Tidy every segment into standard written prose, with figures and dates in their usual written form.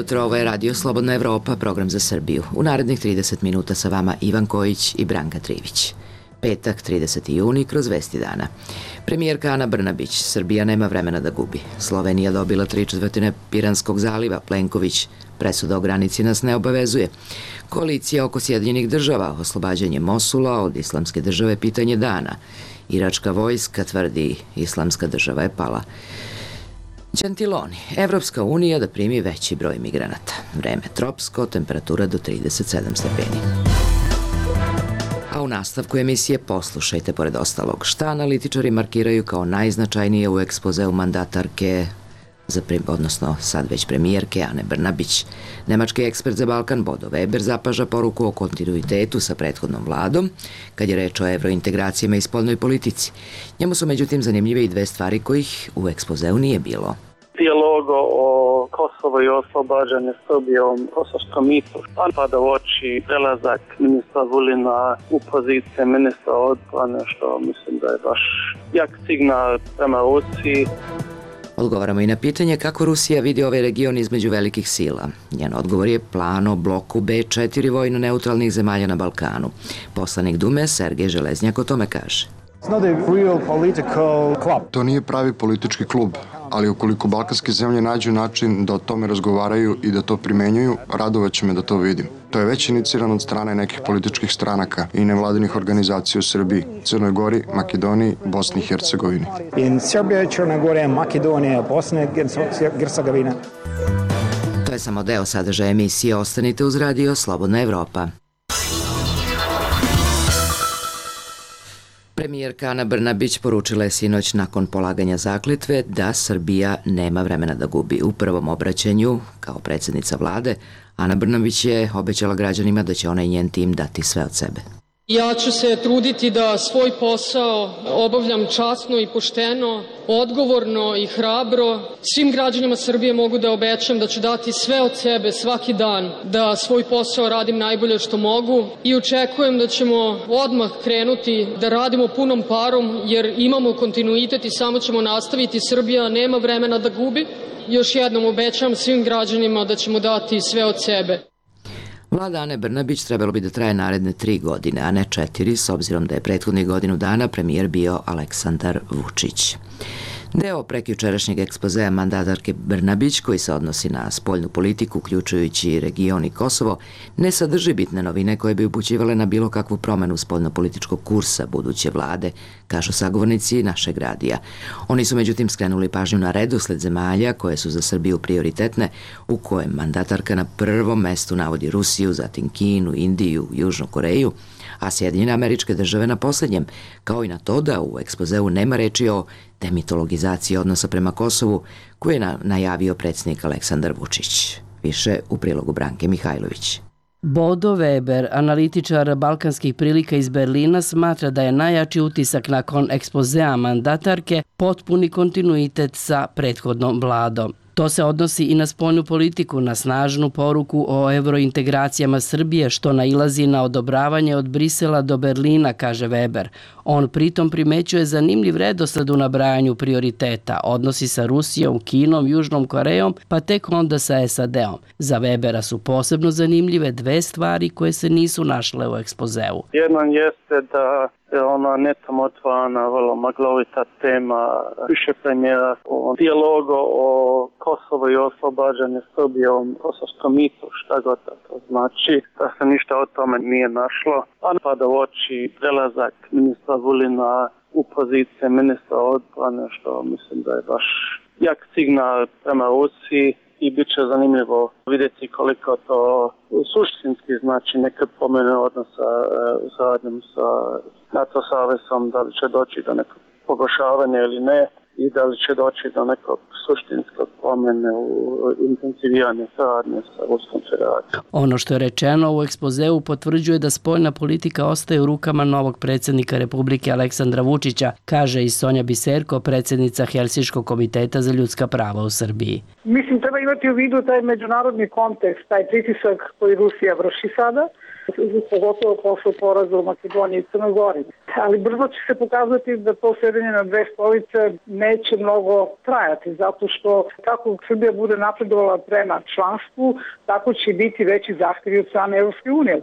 jutro, ovo je Radio Slobodna Evropa, program za Srbiju. U narednih 30 minuta sa vama Ivan Kojić i Branka Trivić. Petak, 30. juni, kroz vesti dana. Premijerka Ana Brnabić, Srbija nema vremena da gubi. Slovenija dobila 3/4 Piranskog zaliva, Plenković, presuda o granici nas ne obavezuje. Koalicija oko Sjedinjenih država, oslobađanje Mosula od Islamske države pitanje dana. Iračka vojska tvrdi Islamska država je pala. Gentiloni, Evropska unija da primi veći broj migranata. Vreme tropsko, temperatura do 37 stepeni. A u nastavku emisije poslušajte pored ostalog šta analitičari markiraju kao najznačajnije u ekspozeu mandatarke, odnosno sad već premijerke Ane Brnabić. Nemački ekspert za Balkan Bodo Weber zapaža poruku o kontinuitetu sa prethodnom vladom kad je reč o evrointegracijama i spoljnoj politici. Njemu su međutim zanimljive i dve stvari kojih u ekspozeu nije bilo. Dijalog o Kosovo i oslobađanje Srbijom, Kosovačkom mitu, pada u oči prelazak ministra Vulina u pozicije ministra odbrane, što mislim da je baš jak signal prema Rusiji. Odgovaramo i na pitanje kako Rusija vidi ovaj region između velikih sila. Njen odgovor je plan o bloku B4 vojno-neutralnih zemalja na Balkanu. Poslanik Dume Sergej Železnjak o tome kaže. To nije pravi politički klub, ali ukoliko balkanske zemlje nađu način da o tome razgovaraju i da to primenjuju, radovaće me da to vidim. To je već inicirano od strane nekih političkih stranaka i nevladinih organizacija u Srbiji, Crnoj Gori, Makedoniji, Bosni i Hercegovini. In Srbija, Crna Gora, Makedonija, Bosna i Hercegovina. To je samo deo sadržaja emisije. Ostanite uz Radio Slobodna Evropa. Premijerka Ana Brnabić poručila je sinoć nakon polaganja zakletve da Srbija nema vremena da gubi. U prvom obraćanju, kao predsjednica vlade, Ana Brnabić je obećala građanima da će ona i njen tim dati sve od sebe. Ja ću se truditi da svoj posao obavljam časno i pošteno, odgovorno i hrabro. Svim građanima Srbije mogu da obećam da ću dati sve od sebe svaki dan, da svoj posao radim najbolje što mogu i očekujem da ćemo odmah krenuti da radimo punom parom jer imamo kontinuitet i samo ćemo nastaviti. Srbija nema vremena da gubi. Još jednom obećam svim građanima da ćemo dati sve od sebe. Vlada Ane Brnabić trebalo bi da traje naredne 3 godine, a ne 4, s obzirom da je prethodnih godinu dana premijer bio Aleksandar Vučić. Deo prekjučerašnjeg ekspozea mandatarke Brnabić, koji se odnosi na spoljnu politiku, uključujući region i Kosovo, ne sadrži bitne novine koje bi upućivale na bilo kakvu promenu spoljnopolitičkog kursa buduće vlade, kažu sagovornici našeg radija. Oni su međutim skrenuli pažnju na redosled zemalja koje su za Srbiju prioritetne, u kojem mandatarka na prvom mestu navodi Rusiju, zatim Kinu, Indiju, Južnu Koreju, a Sjedinjene Američke Države na posljednjem, kao i na to da u ekspozeu nema reči o demitologizaciji odnosa prema Kosovu, koju je najavio predsjednik Aleksandar Vučić. Više u prilogu Branke Mihajlović. Bodo Weber, analitičar balkanskih prilika iz Berlina, smatra da je najjači utisak nakon ekspozea mandatarke potpuni kontinuitet sa prethodnom vladom. To se odnosi i na spoljnu politiku, na snažnu poruku o evrointegracijama Srbije, što nailazi na odobravanje od Brisela do Berlina, kaže Weber. On pritom primećuje zanimljiv redosled u nabrajanju prioriteta, odnosi sa Rusijom, Kinom, Južnom Korejom, pa tek onda sa SAD-om. Za Webera su posebno zanimljive dve stvari koje se nisu našle u ekspozeu. Jedan jeste da je ona netom otvorena, vrlo maglovita tema više premijera o dijalogu o Kosovo i oslobađanje Srbijom, Kosovačkom mitu, šta god to znači, da se ništa o tome nije našlo. A pada u oči prelazak ministra Vulina u pozicije ministra odbrane, što mislim da je baš jak signal prema Rusiji. I bit će zanimljivo vidjeti koliko to suštinski znači neke promjene odnosa u saradnjem sa NATO savezom, da li će doći do nekog pogoršavanja ili ne i da li će doći do nekog suštinskog promjene u intenziviranju saradnje sa Ruskom federacijom. Ono što je rečeno u ekspozeu potvrđuje da spoljna politika ostaje u rukama novog predsjednika Republike Aleksandra Vučića, kaže i Sonja Biserko, predsjednica Helsinškog komiteta za ljudska prava u Srbiji. Mislim, treba imati u vidu taj međunarodni kontekst, taj pritisak koji Rusija vrši sada, pogotovo posle poraza u Makedoniji i Crnoj Gori. Ali brzo će se pokazati da to sjedenje na dve stolice neće mnogo trajati, zato što kako Srbija bude napredovala prema članstvu, tako će biti veći zahtjevi od strane Evropske unije.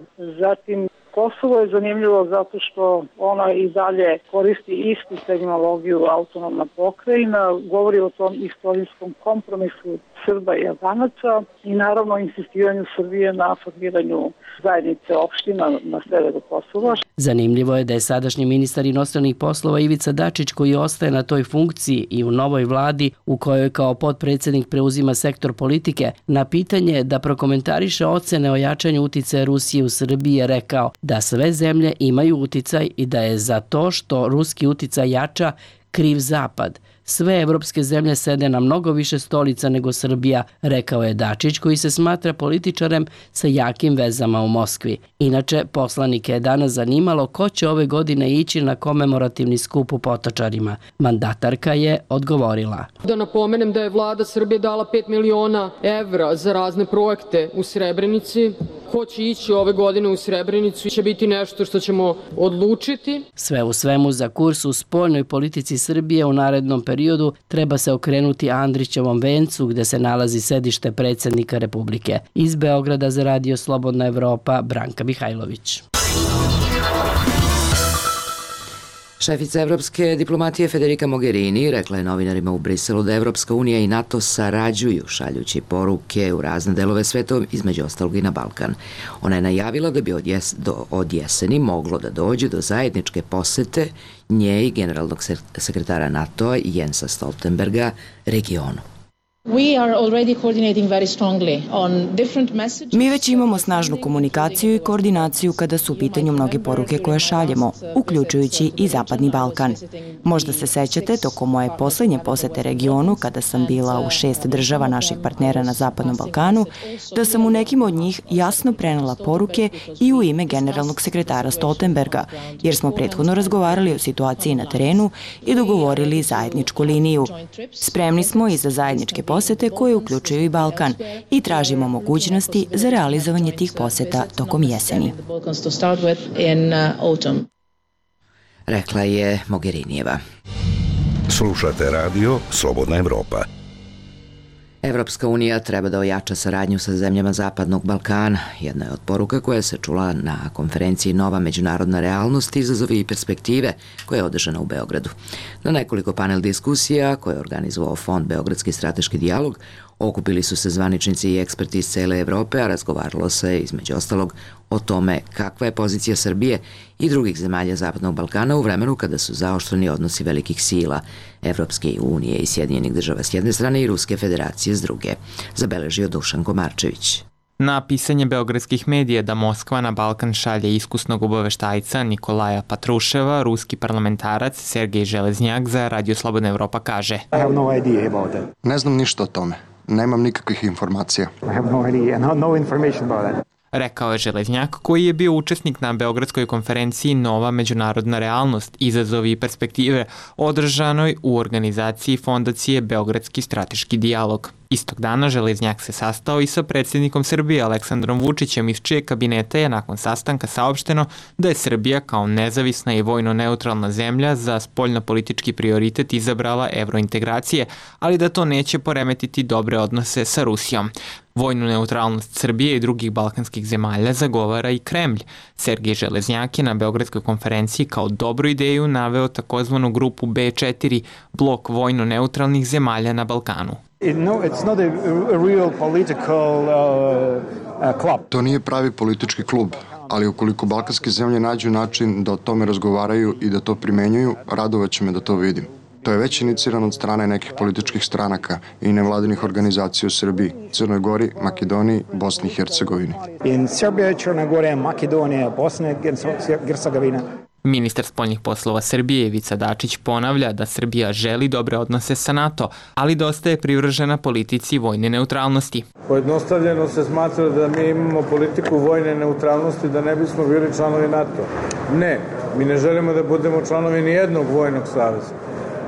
Zatim, Kosovo je zanimljivo zato što ona i dalje koristi istu terminologiju autonomna pokrajina, govori o tom istorijskom kompromisu Srba i Albanaca i naravno insistiranju Srbije na formiranju zajednice opština na severu Kosova. Zanimljivo je da je sadašnji ministar inostranih poslova Ivica Dačić, koji ostaje na toj funkciji i u novoj vladi u kojoj kao potpredsjednik preuzima sektor politike, na pitanje da prokomentariše ocene o jačanju uticaja Rusije u Srbiji je rekao da sve zemlje imaju uticaj i da je za to što ruski uticaj jača kriv Zapad. Sve evropske zemlje sede na mnogo više stolica nego Srbija, rekao je Dačić, koji se smatra političarem sa jakim vezama u Moskvi. Inače, poslanike je danas zanimalo ko će ove godine ići na komemorativni skup u Potočarima. Mandatarka je odgovorila. Da napomenem da je vlada Srbije dala 5 miliona evra za razne projekte u Srebrenici. Ko će ići ove godine u Srebrenicu će biti nešto što ćemo odlučiti. Sve u svemu, za kurs u spoljnoj politici Srbije u narednom periodu treba se okrenuti Andrićevom vencu gde se nalazi sedište predsjednika Republike. Iz Beograda za Radio Slobodna Evropa, Branka Mihajlović. Šefica evropske diplomatije Federica Mogherini rekla je novinarima u Briselu da Evropska unija i NATO sarađuju šaljući poruke u razne delove sveta, između ostalog i na Balkan. Ona je najavila da bi od jeseni moglo da dođe do zajedničke posete nje i generalnog sekretara NATO-a Jensa Stoltenberga regionu. Mi već imamo snažnu komunikaciju i koordinaciju kada su u pitanju mnoge poruke koje šaljemo, uključujući i Zapadni Balkan. Možda se sećate tokom moje poslednje posete regionu, kada sam bila u 6 država naših partnera na Zapadnom Balkanu, da sam u nekim od njih jasno prenela poruke i u ime generalnog sekretara Stoltenberga, jer smo prethodno razgovarali o situaciji na terenu i dogovorili zajedničku liniju. Spremni smo i za zajedničke posete koje uključuju i Balkan i tražimo mogućnosti za realizovanje tih poseta tokom jeseni. Rekla je Mogherinijeva. Slušate radio Slobodna Evropa. Evropska unija treba da ojača saradnju sa zemljama Zapadnog Balkana. Jedna je od poruka koja se čula na konferenciji Nova međunarodna realnost, izazovi i perspektive, koja je održana u Beogradu. Na nekoliko panel diskusija koje je organizovao Fond Beogradski strateški dijalog okupili su se zvaničnici i eksperti iz cele Evrope, a razgovaralo se između ostalog o tome kakva je pozicija Srbije i drugih zemalja Zapadnog Balkana u vremenu kada su zaoštreni odnosi velikih sila Evropske unije i Sjedinjenih država s jedne strane i Ruske federacije s druge, zabeležio Dušan Komarčević. Na pisanje beogradskih medija da Moskva na Balkan šalje iskusnog obaveštajca Nikolaja Patruševa, ruski parlamentarac Sergej Železnjak za Radio Slobodna Evropa kaže: Ne znam ništa o tome. Nemam nikakvih informacija. Rekao je Železnjak, koji je bio učesnik na Beogradskoj konferenciji Nova međunarodna realnost, izazovi i perspektive, održanoj u organizaciji Fondacije Beogradski strateški dijalog. Istog dana Železnjak se sastao i sa predsjednikom Srbije Aleksandrom Vučićem, iz čije kabineta je nakon sastanka saopšteno da je Srbija kao nezavisna i vojno neutralna zemlja za spoljnopolitički prioritet izabrala evrointegracije, ali da to neće poremetiti dobre odnose sa Rusijom. Vojnu neutralnost Srbije i drugih balkanskih zemalja zagovara i Kremlj. Sergej Železnjak je na Beogradskoj konferenciji kao dobru ideju naveo takozvanu grupu B4, blok vojno neutralnih zemalja na Balkanu. To nije pravi politički klub, ali ukoliko balkanske zemlje nađu način da o tome razgovaraju i da to primenjuju, radovaće me da to vidim. To je već inicirano od strane nekih političkih stranaka i nevladinih organizacija u Srbiji, Crnoj Gori, Makedoniji, Bosni i Hercegovini. In Srbija, Crna Gora, Makedonija, Bosna i Hercegovina. Ministar spoljnih poslova Srbije Ivica Dačić ponavlja da Srbija želi dobre odnose sa NATO, ali da ostaje privržena politici vojne neutralnosti. Pojednostavljeno se smatra da mi imamo politiku vojne neutralnosti da ne bismo bili članovi NATO. Ne, mi ne želimo da budemo članovi nijednog vojnog saveza.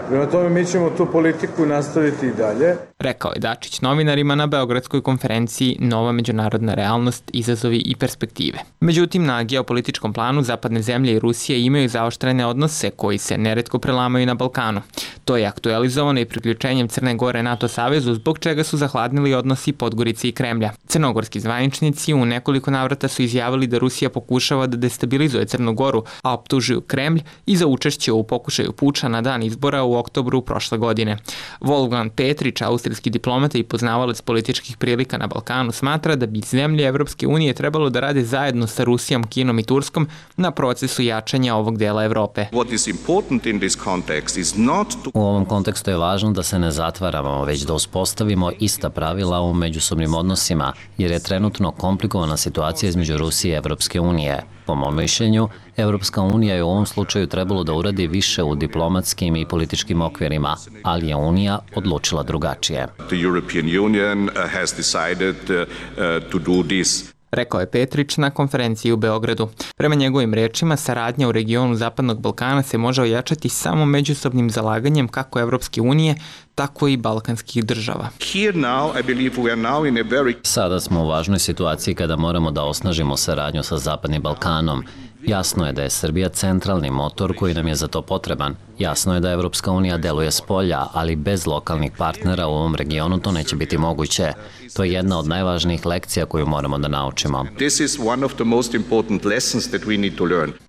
Prema tome mi ćemo tu politiku nastaviti i dalje. rekao je Dačić novinarima na Beogradskoj konferenciji Nova međunarodna realnost, izazovi i perspektive. Međutim, na geopolitičkom planu zapadne zemlje i Rusija imaju zaoštrene odnose koji se neretko prelamaju na Balkanu. To je aktualizovano i priključenjem Crne Gore NATO savezu, zbog čega su zahladnili odnosi Podgorice i Kremlja. Crnogorski zvaničnici u nekoliko navrata su izjavili da Rusija pokušava da destabilizuje Crnu Goru, a optužuju Kremlj i za učešće u pokušaju puča na dan izbora u oktobru prošle godine. Wolfgang Petrić, austrijski diplomata i poznavalac političkih prilika na Balkanu, smatra da bi zemlje Evropske unije trebalo da rade zajedno sa Rusijom, Kinom i Turskom na procesu jačanja ovog dela Evrope. U ovom kontekstu je važno da se ne zatvaramo, već da uspostavimo ista pravila u međusobnim odnosima, jer je trenutno komplikovana situacija između Rusije i Evropske unije. Po mom mišljenju, Evropska unija je u ovom slučaju trebalo da uradi više u diplomatskim i političkim okvirima, ali je Unija odlučila drugačije. Rekao je Petrić na konferenciji u Beogradu. Prema njegovim rečima, saradnja u regionu Zapadnog Balkana se može ojačati samo međusobnim zalaganjem kako Evropske unije, tako i balkanskih država. Sada smo u važnoj situaciji kada moramo da osnažimo saradnju sa Zapadnim Balkanom. Jasno je da je Srbija centralni motor koji nam je za to potreban. Jasno je da Evropska unija deluje s polja, ali bez lokalnih partnera u ovom regionu to neće biti moguće. To je jedna od najvažnijih lekcija koju moramo da naučimo.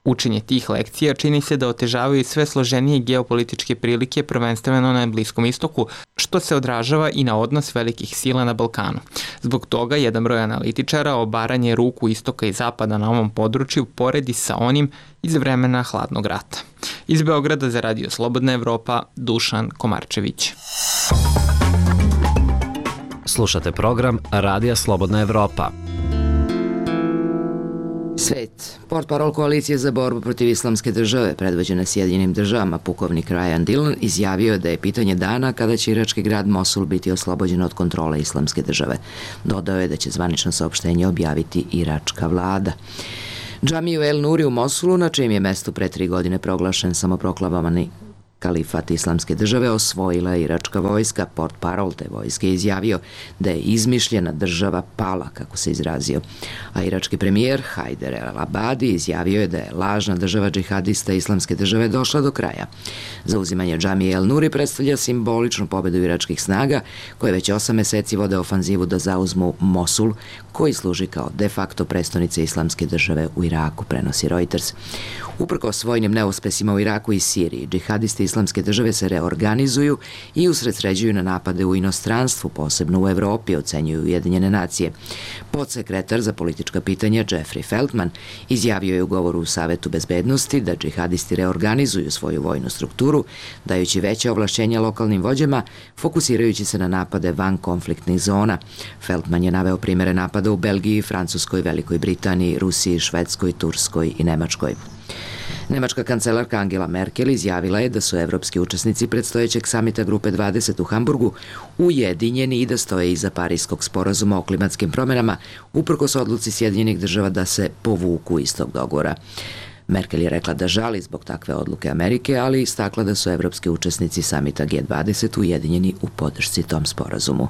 Učenje tih lekcija čini se da otežavaju sve složenije geopolitičke prilike, prvenstveno na Bliskom istoku, što se odražava i na odnos velikih sila na Balkanu. Zbog toga, jedan broj analitičara obaranje ruku istoka i zapada na ovom području poredi sa onim iz vremena hladnog rata. Iz Beograda za Radio Slobodna Evropa, Dušan Komarčević. Slušate program Radija Slobodna Evropa. Svet. Portparol koalicije za borbu protiv islamske države, predvođene Sjedinjenim državama, pukovnik Ryan Dillon, izjavio je da je pitanje dana kada će irački grad Mosul biti oslobođen od kontrole islamske države. Dodao je da će zvanično saopštenje objaviti iračka vlada. Džamiju El Nuri u Mosulu, na čijem je mestu pre 3 godine proglašen samoproklamovani kalifat islamske države, osvojila iračka vojska. Portparol te vojske izjavio da je izmišljena država pala, kako se izrazio. A irački premijer Hajder el-Abadi izjavio je da je lažna država džihadista islamske države došla do kraja. Zauzimanje džamije El Nuri predstavlja simboličnu pobedu iračkih snaga, koje već 8 meseci vode ofanzivu da zauzmu Mosul, koji služi kao de facto prestonice islamske države u Iraku, prenosi Reuters. Uprkos vojnim neuspesima u Iraku i Siriji, džihadisti islamske države se reorganizuju i usredsređuju na napade u inostranstvu, posebno u Evropi, ocenjuju Ujedinjene nacije. Podsekretar za politička pitanja Jeffrey Feltman izjavio je u govoru u Savetu bezbednosti da džihadisti reorganizuju svoju vojnu strukturu, dajući veće ovlašćenja lokalnim vođama, fokusirajući se na napade van konfliktnih zona. Feltman je naveo primere napada u Belgiji, Francuskoj, Velikoj Britaniji, Rusiji, Švedskoj, Turskoj i Nemačkoj. Nemačka kancelarka Angela Merkel izjavila je da su evropski učesnici predstojećeg samita Grupe 20 u Hamburgu ujedinjeni i da stoje iza Pariskog sporazuma o klimatskim promenama, uprkos odluci Sjedinjenih država da se povuku iz tog dogovora. Merkel je rekla da žali zbog takve odluke Amerike, ali istakla da su evropski učesnici samita G20 ujedinjeni u podršci tom sporazumu.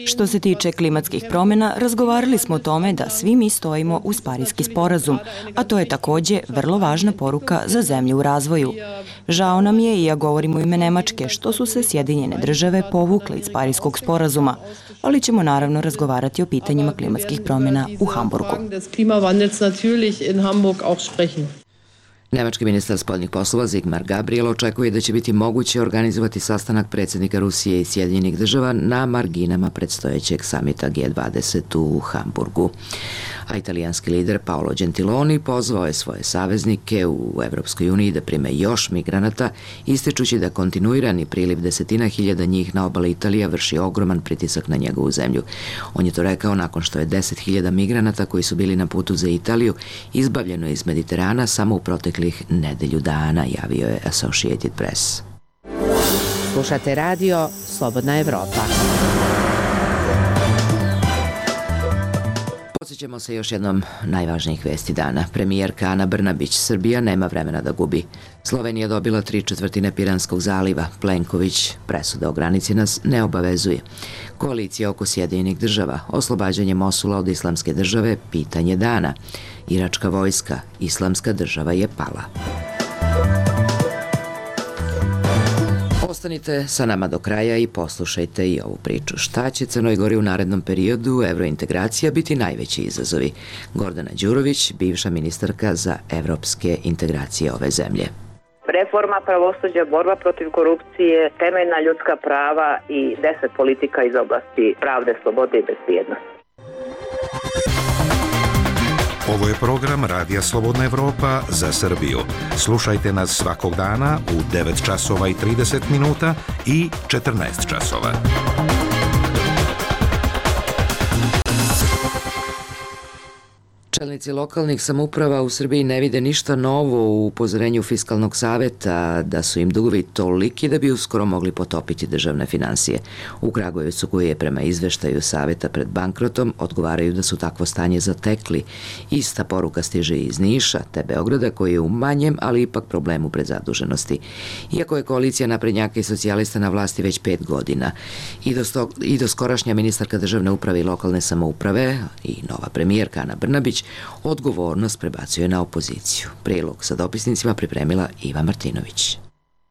Što se tiče klimatskih promjena, razgovarali smo o tome da svi mi stojimo uz Pariski sporazum, a to je takođe vrlo važna poruka za zemlje u razvoju. Žao nam je, i ja govorim u ime Nemačke, što su se Sjedinjene države povukle iz Pariskog sporazuma, ali ćemo naravno razgovarati o pitanjima klimatskih promjena u Hamburgu. Nemački ministar spoljnih poslova Sigmar Gabriel očekuje da će biti moguće organizovati sastanak predsjednika Rusije i Sjedinjenih država na marginama predstojećeg samita G20 u Hamburgu. A italijanski lider Paolo Gentiloni pozvao je svoje saveznike u Evropskoj uniji da prime još migranata, ističući da kontinuirani priliv desetina hiljada njih na obali Italije vrši ogroman pritisak na njegovu zemlju. On je to rekao nakon što je 10.000 migranata koji su bili na putu za Italiju izbavljeno iz Mediterana samo u proteklih nedelju dana, javio je Associated Press. Slušate radio Slobodna Evropa. Podsjećamo se još jednom najvažnijih vesti dana. Premijerka Ana Brnabić, Srbija nema vremena da gubi. Slovenija dobila 3/4 Piranskog zaliva. Plenković, presuda o granici nas ne obavezuje. Koalicija oko Sjedinjenih država, oslobađanje Mosula od Islamske države, pitanje dana. Iračka vojska, Islamska država je pala. Ostanite sa nama do kraja i poslušajte i ovu priču. Šta će Crnoj Gori u narednom periodu evrointegracija biti najveći izazovi? Gordana Đurović, bivša ministarka za evropske integracije ove zemlje. Reforma pravosuđa, borba protiv korupcije, temeljna ljudska prava i 10 politika iz oblasti pravde, slobode i bezbjednosti. Ovo je program Radija Slobodna Evropa za Srbiju. Slušajte nas svakog dana u 9 časova i 30 minuta i 14 časova. Čelnici lokalnih samouprava u Srbiji ne vide ništa novo u upozorenju Fiskalnog saveta da su im dugovi toliki da bi uskoro mogli potopiti državne finansije. U Kragujevcu, koji je prema izveštaju saveta pred bankrotom, odgovaraju da su takvo stanje zatekli. Ista poruka stiže iz Niša, te Beograda, koji je u manjem, ali ipak problemu predzaduženosti. Iako je koalicija naprednjaka i socijalista na vlasti već 5 godina i do skorašnja ministarka državne uprave i lokalne samouprave i nova premijerka Ana Brnabić odgovornost prebacuje na opoziciju. Prilog sa dopisnicima pripremila Iva Martinović.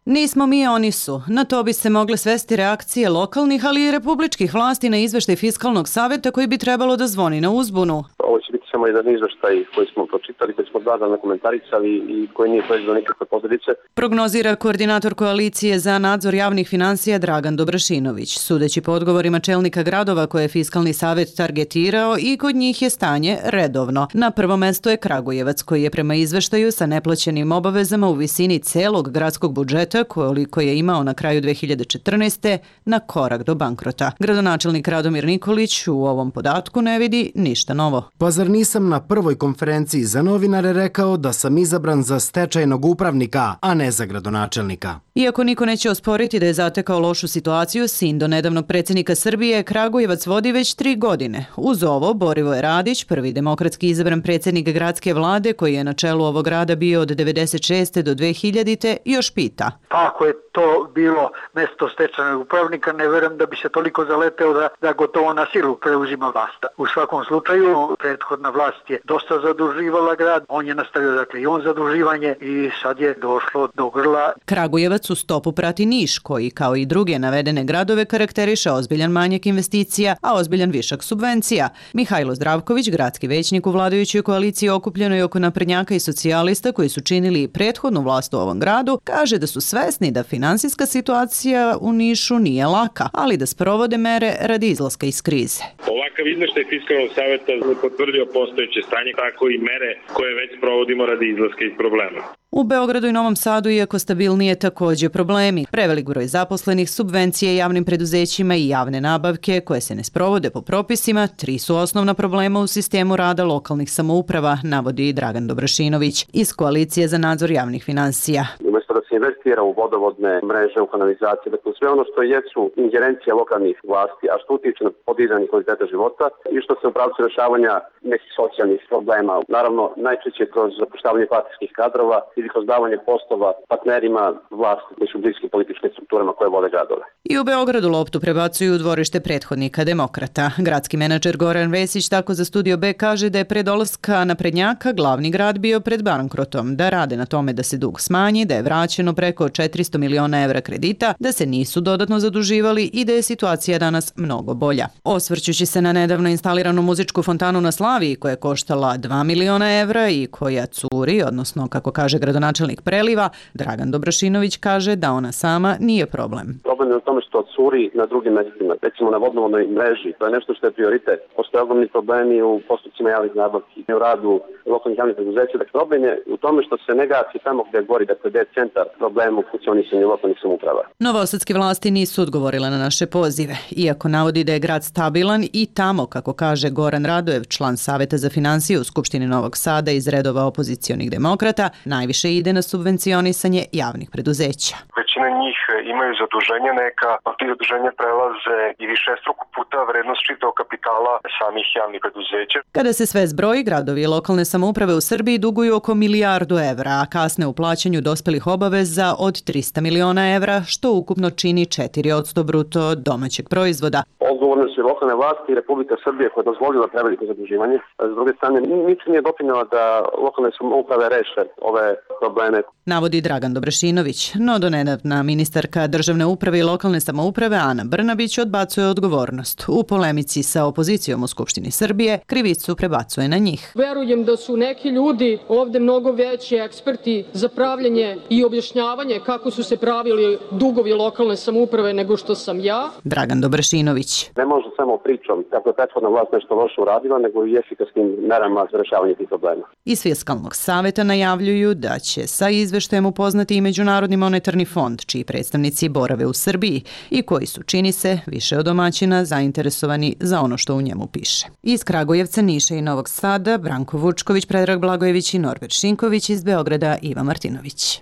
Nismo mi, oni su. Na to bi se mogle svesti reakcije lokalnih, ali i republičkih vlasti na izveštaj Fiskalnog saveta koji bi trebalo da zvoni na uzbunu. Ovo će biti samo jedan izveštaj koji smo pročitali, koji smo dana komentarisali i koji nije proizveo nikakve posljedice. Prognozira koordinator koalicije za nadzor javnih finansija Dragan Dobrašinović. Sudeći po odgovorima čelnika gradova koje je Fiskalni savet targetirao, i kod njih je stanje redovno. Na prvo mesto je Kragujevac, koji je prema izveštaju sa neplaćenim obavezama u visini celog gradskog budžeta koliko je imao na kraju 2014. na korak do bankrota. Gradonačelnik Radomir Nikolić u ovom podatku ne vidi ništa novo. Pa zar nisam na prvoj konferenciji za novinare rekao da sam izabran za stečajnog upravnika, a ne za gradonačelnika? Iako niko neće osporiti da je zatekao lošu situaciju, sin do nedavnog predsjednika Srbije, Kragujevac vodi već 3 godine. Uz ovo, Borivoje Radić, prvi demokratski izabran predsjednik gradske vlade, koji je na čelu ovog grada bio od 96. do 2000. još pita. Ako je to bilo mesto stečajnog upravnika, ne verujem da bi se toliko zaleteo da gotovo na silu preuzima vlast. U svakom slučaju, prethodna vlast je dosta zaduživala grad, on je nastavio dakle i on zaduživanje i sad je došlo do grla. Kragujevac u stopu prati Niš, koji kao i druge navedene gradove karakteriše ozbiljan manjak investicija, a ozbiljan višak subvencija. Mihajlo Zdravković, gradski većnik u vladajućoj koaliciji okupljenoj oko naprednjaka i socijalista koji su činili prethodnu vlast u ovom gradu, kaže da su svesni da finansijska situacija u Nišu nije laka, ali da sprovode mere radi izlaska iz krize. Ovakav izveštaj Fiskalnog saveta je potvrdio postojeće stanje, tako i mere koje već provodimo radi izlaska iz problema. U Beogradu i Novom Sadu, iako stabilnije, također problemi. Prevelik broj zaposlenih, subvencije javnim preduzećima i javne nabavke koje se ne sprovode po propisima, 3 su osnovna problema u sistemu rada lokalnih samouprava, navodi Dragan Dobrašinović iz Koalicije za nadzor javnih finansija. Umjesto da se investira u vodovodne mreže, u kanalizacije, dakle sve ono što jesu ingerencije lokalnih vlasti, a što utiče na podizanje kvaliteta života i što se u pravcu rješavanja nekih socijalnih problema. Naravno, najčešće kroz zapošljavanje partijskih kadrova ili kroz davanje poslova partnerima vlasti koji su bliski političkim strukturama koje vode gradove. I u Beogradu loptu prebacuju u dvorište prethodnika demokrata. Gradski menadžer Goran Vesić tako za Studio B kaže da je pre dolaska naprednjaka glavni grad bio pred bankrotom, da rade na tome da se dug smanji, da je vraćeno preko 400 miliona evra kredita, da se nisu dodatno zaduživali i da je situacija danas mnogo bolja. Osvrćući se na nedavno instaliranu muzičku fontanu na Slaviji koja je koštala 2 miliona evra i koja curi, odnosno kako kaže gradonačelnik Preliva, Dragan Dobrašinović kaže da ona sama nije problem. Problem je u tome što curi na drugim mjestima, recimo na vodovodnoj mreži, to je nešto što je prioritet. Postoje ogromni problemi u postupcima javnih nabavki, u radu lokalnih javnih preduzeća. Dakle, problem je u tome što se ne gasi tamo gdje gori, dakle gdje je centar problema. problemu funkcionisanja lokalnih samouprava. Novosadske vlasti nisu odgovorile na naše pozive, iako navodi da je grad stabilan i tamo, kako kaže Goran Radojev, član Saveta za finansije u Skupštini Novog Sada iz redova opozicionih demokrata, najviše ide na subvencionisanje javnih preduzeća. Većina njih imaju zaduženja neka, a ti zaduženja prelaze i višestruko puta vrednost čitavog kapitala samih javnih preduzeća. Kada se sve zbroji, gradovi i lokalne samouprave u Srbiji duguju oko milijardu evra, a kasne u plaćanju dospelih obaveza od 300 miliona evra, što ukupno čini 4% bruto domaćeg proizvoda. Odgovorne su i lokalne vlasti i Republika Srbije koja je dozvolila preveliko zaduživanje. S druge strane, ničim nije doprinjela da lokalne samouprave reše ove probleme. Navodi Dragan Dobrašinović, no donedavna ministarka državne uprave i lokalne samouprave Ana Brnabić odbacuje odgovornost. U polemici sa opozicijom u Skupštini Srbije krivicu prebacuje na njih. Verujem da su neki ljudi ovde mnogo veći eksperti za pravljanje i objašnjavanje kako su se pravili dugovi lokalne samouprave nego što sam ja. Dragan Dobrašinović. Ne može samo pričom kako je prethodna vlast nešto loše uradila, nego i efikasnim merama za rešavanje tih problema. Iz Fiskalnog saveta najavljuju da će sa izveštajem upoznati i Međunarodni monetarni fond, čiji predstavnici borave u Srbiji i koji su, čini se, više od domaćina zainteresovani za ono što u njemu piše. Iz Kragujevca, Niša i Novog Sada, Branko Vučković, Predrag Blagojević i Norbert Šinković, iz Beograda Iva Martinović.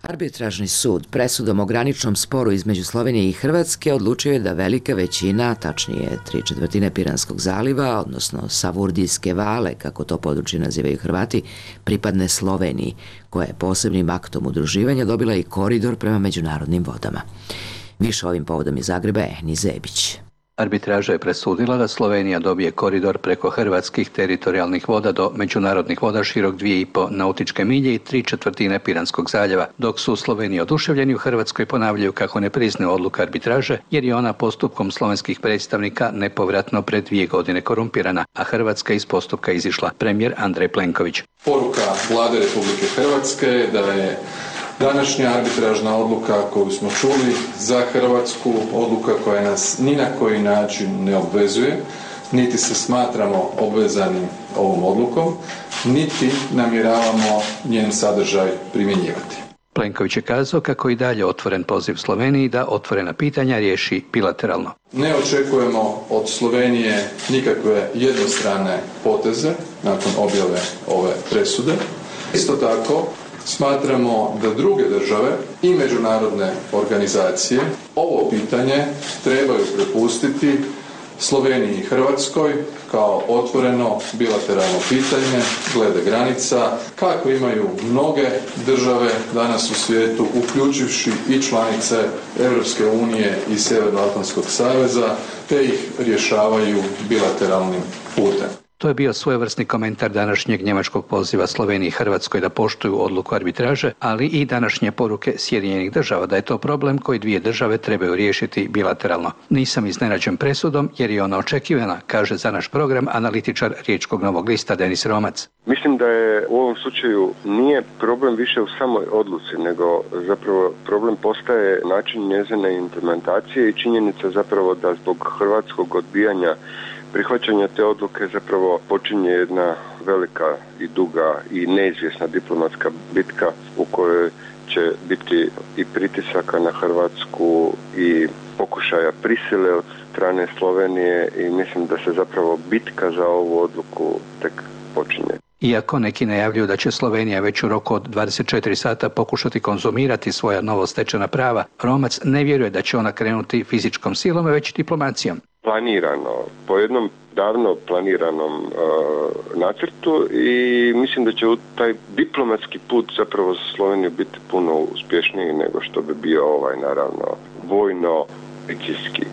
Arbitražni sud presudom o graničnom sporu između Slovenije i Hrvatske odlučio je da velika većina, tačnije 3/4 Piranskog zaliva, odnosno Savurdijske vale, kako to područje nazivaju Hrvati, pripadne Sloveniji, koja je posebnim aktom udruživanja dobila i koridor prema međunarodnim vodama. Više ovim povodom iz Zagreba Ehni Zebić. Arbitraža je presudila da Slovenija dobije koridor preko hrvatskih teritorijalnih voda do međunarodnih voda širok 2,5 nautičke milje i 3/4 Piranskog zaljeva, dok su Sloveniji oduševljeni u Hrvatskoj ponavljaju kako ne priznaju odluku arbitraže, jer je ona postupkom slovenskih predstavnika nepovratno pred 2 godine korumpirana, a Hrvatska iz postupka izišla. Premijer Andrej Plenković. Poruka Vlade Republike Hrvatske je da je današnja arbitražna odluka koju smo čuli za Hrvatsku, odluka koja nas ni na koji način ne obvezuje, niti se smatramo obvezanim ovom odlukom, niti namjeravamo njen sadržaj primjenjivati. Plenković je kazao kako i dalje otvoren poziv Sloveniji da otvorena pitanja riješi bilateralno. Ne očekujemo od Slovenije nikakve jednostrane poteze nakon objave ove presude. Isto tako, smatramo da druge države i međunarodne organizacije ovo pitanje trebaju prepustiti Sloveniji i Hrvatskoj kao otvoreno bilateralno pitanje glede granica, kako imaju mnoge države danas u svijetu, uključivši i članice Europske unije i Sjevernoatlantskog saveza, te ih rješavaju bilateralnim putem. To je bio svojevrsni komentar današnjeg njemačkog poziva Sloveniji i Hrvatskoj da poštuju odluku arbitraže, ali i današnje poruke Sjedinjenih država da je to problem koji 2 države trebaju riješiti bilateralno. Nisam iznenađen presudom jer je ona očekivana, kaže za naš program analitičar Riječkog Novog lista Denis Romac. Mislim da je u ovom slučaju nije problem više u samoj odluci, nego zapravo problem postaje način njezine implementacije i činjenica zapravo da zbog hrvatskog odbijanja prihvaćanje te odluke zapravo počinje jedna velika i duga i neizvjesna diplomatska bitka u kojoj će biti i pritisaka na Hrvatsku i pokušaja prisile od strane Slovenije i mislim da se zapravo bitka za ovu odluku tek počinje. Iako neki najavljuju da će Slovenija već u roku od 24 sata pokušati konzumirati svoja novostečena prava, Romac ne vjeruje da će ona krenuti fizičkom silom, već diplomacijom. Planirano, po jednom davno planiranom nacrtu i mislim da će taj diplomatski put zapravo za Sloveniju biti puno uspješniji nego što bi bio naravno vojno policijski.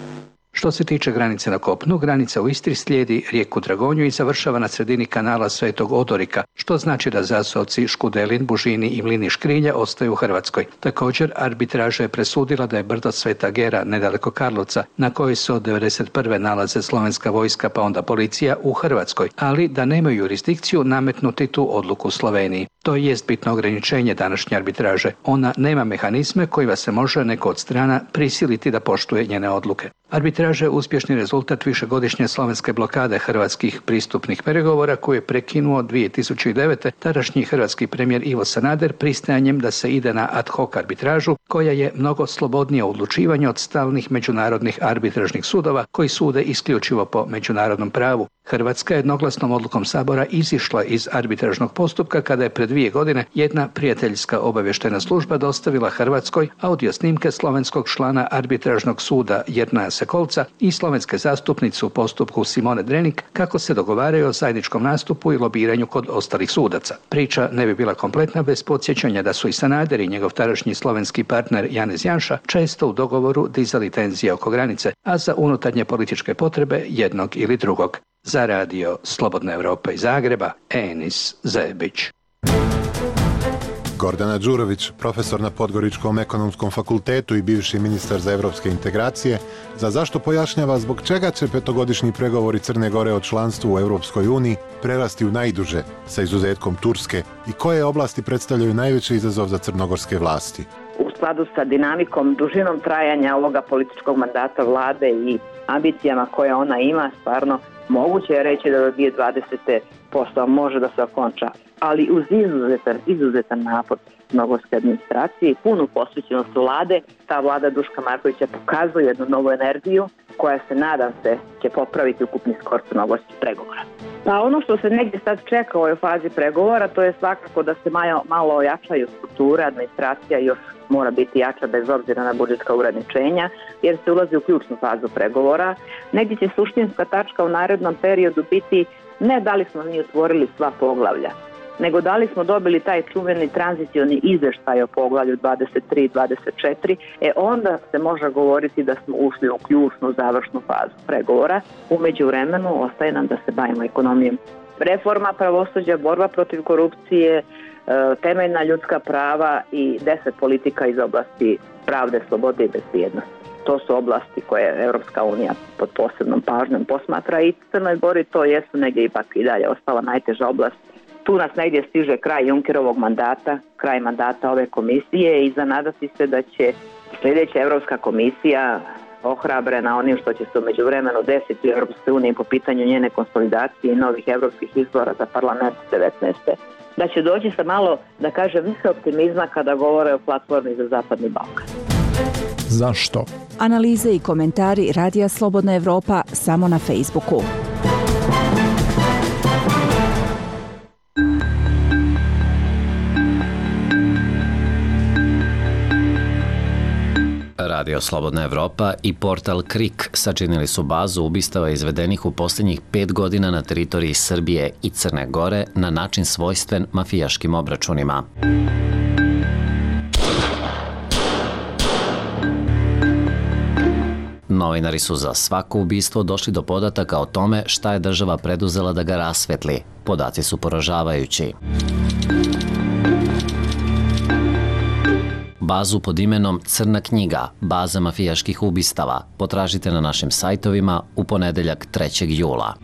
Što se tiče granice na kopnu, granica u Istri slijedi rijeku Dragonju i završava na sredini kanala Svetog Odorika, što znači da zaseoci Škudelin, Bužini i Mlini Škrilja ostaju u Hrvatskoj. Također, arbitraža je presudila da je brdo Sveta Gera, nedaleko Karlovca, na kojoj se od 1991. nalaze slovenska vojska pa onda policija u Hrvatskoj, ali da nemaju jurisdikciju nametnuti tu odluku Sloveniji. To jest bitno ograničenje današnje arbitraže. Ona nema mehanizme kojima se može neko od strana prisiliti da poštuje njene odluke. Arbitraža je uspješni rezultat višegodišnje slovenske blokade hrvatskih pristupnih pregovora koje je prekinuo 2009. tadašnji hrvatski premijer Ivo Sanader pristajanjem da se ide na ad hoc arbitražu koja je mnogo slobodnije odlučivanje od stalnih međunarodnih arbitražnih sudova koji sude isključivo po međunarodnom pravu. Hrvatska je jednoglasnom odlukom Sabora izišla iz arbitražnog postupka kada je pred 2 godine jedna prijateljska obavještajna služba dostavila Hrvatskoj audio snimke slovenskog člana arbitražnog suda Jernaja Sekolca i slovenske zastupnice u postupku Simone Drenik kako se dogovaraju o zajedničkom nastupu i lobiranju kod ostalih sudaca. Priča ne bi bila kompletna bez podsjećanja da su i Sanader i njegov tadašnji slovenski partner Janez Janša često u dogovoru dizali tenzije oko granice, a za unutarnje političke potrebe jednog ili drugog. Za radio Slobodna Evropa iz Zagreba, Enis Zebić. Gordana Đurović, profesor na Podgoričkom ekonomskom fakultetu i bivši ministar za evropske integracije, za zašto pojašnjava zbog čega će 5-godišnji pregovori Crne Gore o članstvu u Europskoj uniji prerasti u najduže, sa izuzetkom Turske, i koje oblasti predstavljaju najveći izazov za crnogorske vlasti. U skladu sa dinamikom, dužinom trajanja ovoga političkog mandata vlade i ambicijama koje ona ima, stvarno moguće je reći da do 2020. posao može da se okonča, ali uz izuzetan napor crnogorske administracije i punu posvećenost vlade, ta vlada Duška Markovića pokazuje jednu novu energiju koja se, nadam se, će popraviti ukupni skor crnogorskih pregovora. Pa ono što se negdje sad čeka u ovoj fazi pregovora, to je svakako da se malo ojačaju strukture, administracija još mora biti jača bez obzira na budžetska ograničenja, jer se ulazi u ključnu fazu pregovora. Negdje će suštinska tačka u narednom periodu biti ne da li smo mi otvorili sva poglavlja, nego da li smo dobili taj čuveni tranzicioni izveštaj o poglavlju 23 i 24, onda se može govoriti da smo ušli u ključnu završnu fazu pregovora. U međuvremenu ostaje nam da se bavimo ekonomijom. Reforma pravosuđa, borba protiv korupcije, temeljna ljudska prava i 10 politika iz oblasti pravde, slobode i bezbjednosti. To su oblasti koje Europska unija pod posebnom pažnjom posmatra i Crnoj Gori to jesu negdje ipak i dalje ostala najteža oblast. Tu nas negdje stiže kraj Junckerovog mandata, kraj mandata ove komisije i zanadati se da će sljedeća Europska komisija, ohrabrena onim što će se u međuvremenu desiti u Europskoj uniji po pitanju njene konsolidacije i novih europskih izbora za parlament 19. da će doći sa malo, da kažem, više optimizma kada govore o platformi za Zapadni Balkan. Zašto? Analize i komentari Radija Slobodna Evropa samo na Facebooku. Radio Slobodna Evropa i portal KRIK sačinili su bazu ubistava izvedenih u posljednjih 5 godina na teritoriji Srbije i Crne Gore na način svojstven mafijaškim obračunima. Novinari su za svako ubistvo došli do podataka o tome šta je država preduzela da ga rasvetli. Podaci su poražavajući. Bazu pod imenom Crna knjiga, baza mafijaških ubistava, potražite na našim sajtovima u ponedeljak 3. jula.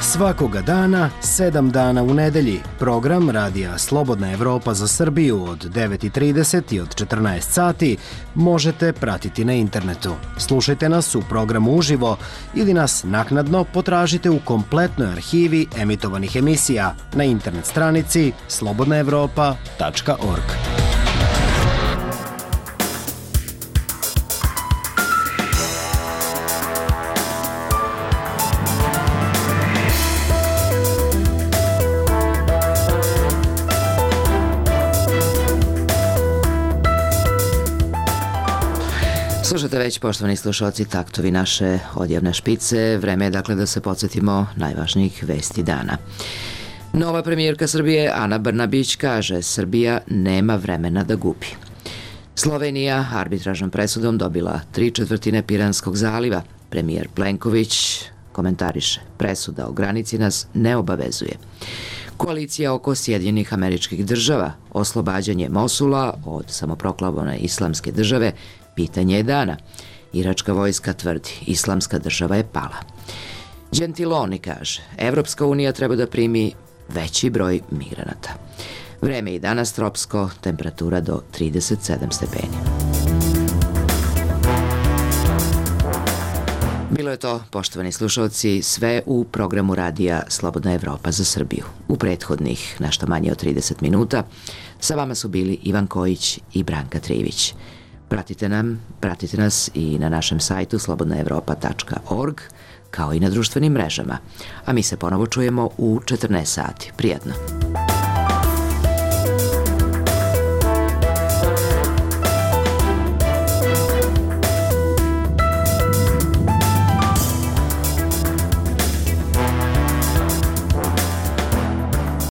Svakoga dana, 7 dana u nedelji, program Radija Slobodna Evropa za Srbiju od 9:30 i od 14 sati možete pratiti na internetu. Slušajte nas u programu uživo ili nas naknadno potražite u kompletnoj arhivi emitovanih emisija na internet stranici slobodnaevropa.org. Slušate već, poštovani slušalci, taktovi naše odjavne špice. Vreme je dakle da se podsjetimo najvažnijih vesti dana. Nova premijerka Srbije Ana Brnabić kaže Srbija nema vremena da gubi. Slovenija arbitražnom presudom dobila 3/4 Piranskog zaliva. Premijer Plenković komentariše presuda o granici nas ne obavezuje. Koalicija oko Sjedinjenih Američkih Država, oslobađanje Mosula od samoproklamovane islamske države, pitanje je dana. Iračka vojska tvrdi, islamska država je pala. Gentiloni kaže, Evropska unija treba da primi veći broj migranata. Vreme i danas tropsko, temperatura do 37 stepeni. Bilo je to, poštovani slušalci, sve u programu radija Slobodna Evropa za Srbiju. U prethodnih nešto manje od 30 minuta sa vama su bili Ivan Kojić i Branka Trivić. Pratite nas i na našem sajtu slobodnaevropa.org, kao i na društvenim mrežama. A mi se ponovo čujemo u 14 sati. Prijatno!